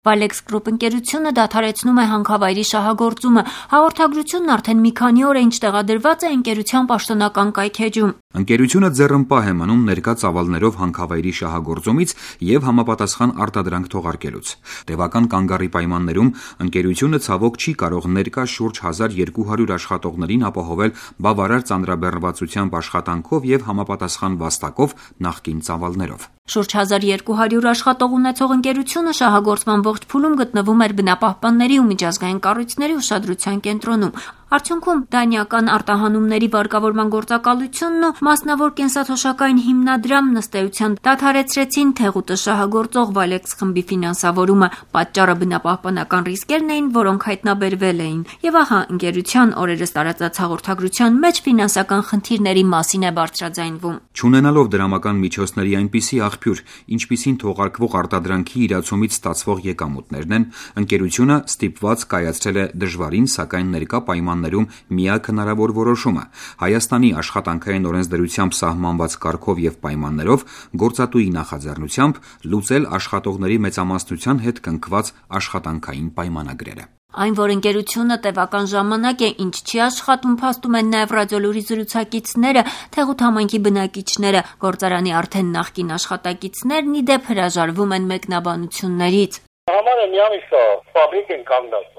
Valex Group ընկերությունը դադարեցնում է հանքավայրի շահագործումը։ Հաղորդագրությունն արդեն մի քանի օր է ինչ տեղադրված է ընկերության պաշտոնական կայքէջում։ Ընկերությունը ձեռնպահ է մնում ներկա ծավալներով հանքավայրի շահագործումից և համապատասխան արտադրանք թողարկելուց։ Տևական կանգառի պայմաններում ընկերությունը ցավոք չի կարող ներկա շուրջ 1200 աշխատողներին ապահովել բավարար ծանրաբեռնվածությամբ աշխատանքով և համապատասխան վաստակով նախկին ծավալներով։ Շուրջ 1200 աշխատող ունեցող ընկերությունը շահագործման ողջ փուլում գտնվում էր բնապահպանների ու միջազգային կառույցների ուշադրության կենտրոնում։ Արդյունքում դանիական արտահանումների վարկավորման գործակալությունն ու մասնավոր կենսաթոշակային հիմնադրամն ըստ էության դադարեցրեցին Թեղուտը շահագործող Valex խմբի ֆինանսավորումը։ Պատճառը բնապահպանական ռիսկերն էին, որոնք հայտնաբերվել էին։ Եվ ահա ընկերության օրերս տարածած հաղորդագրության մեջ ֆինանսական խնդիրների մասին է բարձրաձայնվում։ Չունենալով դրամական միջոցների այնպիսի աղբյուր, ինչպիսին թողարկվող արտադրանքի իրացումից ստացվող եկամուտներն են, ընկերությունը ստիպված կայացրել է դժվարին, սակայն ներկա պայմաններում միակ հնարավոր որոշումը՝ Հայաստանի աշխատանքային օրենսդրությամբ սահմանված կարգով և պայմաններով գործատուի նախաձեռնությամբ լուծել աշխատողների մեծամասնության հետ կնքված աշխատանքային պայմանագրերը։ Այն, որ ընկերությունը տևական ժամանակ է ինչ չի աշխատում, փաստում են նաև ռադիոլուրի զրուցակիցները, Թեղուտ համայնքի բնակիչները, գործարանի արդեն նախկին աշխատակիցներն ի դեպ հրաժարվում են մեկնաբանություններից։ Համարը մի ամիս է, ֆաբրիկ են կանգնած։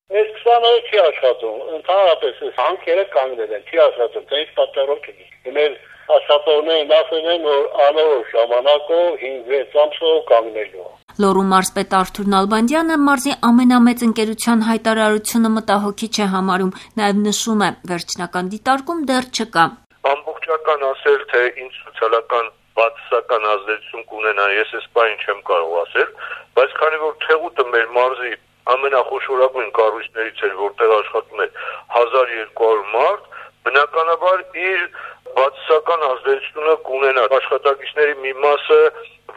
Այս 20 օրը չի աշխատում, ընդհանրապես հանքերը կանգնել են, չի աշխատում, դա ինչ պատճառով չի։ Մեր աշխատողներն ասել են, որ անորոշ ժամանակով 5-6 ամսով կանգնելու։ Լոռու մարզպետ Արթուր Նալբանդյանը մարզի ամենամեծ ընկերության հայտարարությունը մտահոգիչ է համարում, նաև նշում է, վերջնական դիտարկում դեռ չկա։ Ամբողջական ասել, թե ինչ սոցիալական բացասական ազդեցություն կունենա, ես այս բանը չեմ կարող ասել, բայց քանի որ Թեղուտը մեր մարզի ամենախոշորագույն կառույցներից էր, որտեղ աշխատում էր 1200 մարդ, բնականաբար իր բացասական ազդեցությունը կունենա։ Աշխատակիցների մի մասը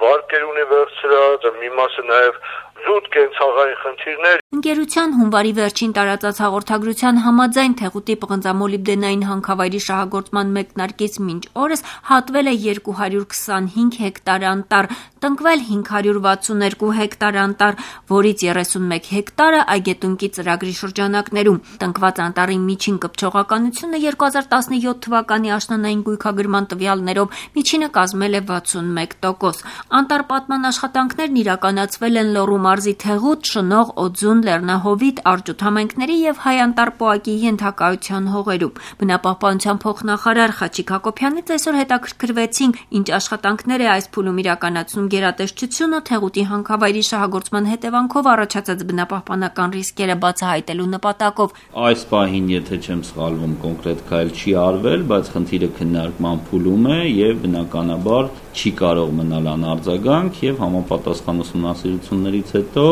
վարկեր ունի վերցրած, մի մասը նաև զուտ կենցաղային խնդիրներ։ Ընկերության հունվարի վերջին տարածած հաղորդագրության համաձայն Թեղուտի պղնձամոլիբդենային հանքավայրի շահագործման մեկնարկից մինչ օրս հատվել է 225 հեկտար անտառ, տնկվել 562 հեկտար անտառ, որից 31 հեկտարը Այգետունկի ծրագրի շրջանակներում։ Տնկված անտառի միջին կպչողականությունը 2017 թվականի աշնանային գույքագրման տվյալներով միջինը կազմել է 61%։ Անտառ պատման աշխատանքներն իրականացվել են Լոռու մարզի Թեղուտ, Շնող, Օձուն, Լեռնահովիտ, Արջուտ համայնքների և Հայ-Անտառ պոակի ենթակայության հողերում։ Բնապահպանության փոխնախարար Խաչիկ Հակոբյանից այսօր հետաքրքրվեցինք, ինչ աշխատանքներ է այս փուլում իրականացնում գերատեսչությունը Թեղուտի հանքավայրի շահագործման հետևանքով առաջացած բնապահպանական ռիսկերը բացահայտելու նպատակով։ Այս պահին, եթե չեմ սխալվում, կոնկրետ քայլ չի արվել, բայց խնդիրը քննարկման փուլում է եւ բնականաբար չի կարող մնալ անարձագանք եւ համապատասխան ուսումնասիրություններից հետո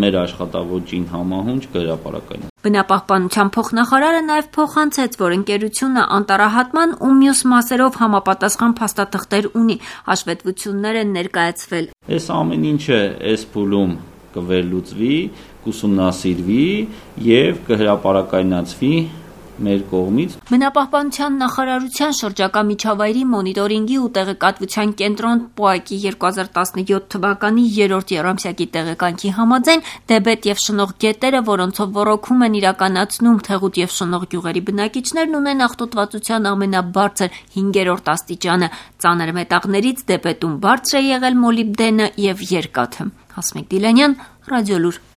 մեր աշխատավոճին համահունչ կհրապարակվի։ Բնապահպանության փոխնախարարը նաև փոխանցեց, որ ընկերությունը անտառահատման ու մյուս մասերով համապատասխան փաստաթղթեր ունի, հաշվետվություններ են ներկայացվել։ Այս ամեն ինչը այս փուլում կվերլուծվի, կուսումնասիրվի եւ կհրապարակայնացվի մեր կողմից։ Բնապահպանության նախարարության շրջակա միջավայրի մոնիտորինգի ու տեղեկատվության կենտրոն պոակի 2017 թվականի 3-րդ եռամսյակի տեղեկանքի համաձայն Դեբետ եւ Շնող գետերը, որոնցով ոռոգում են իրականացնում Թեղուտ եւ Շնող գյուղերի բնակիչներն, ունեն աղտոտվածության ամենաբարձր 5-րդ աստիճանը։ Ծանր մետաղներից Դեբետում բարձր է եղել մոլիբդենը եւ երկաթը։ Հասմիկ Դիլանյան, Ռադիոլուր։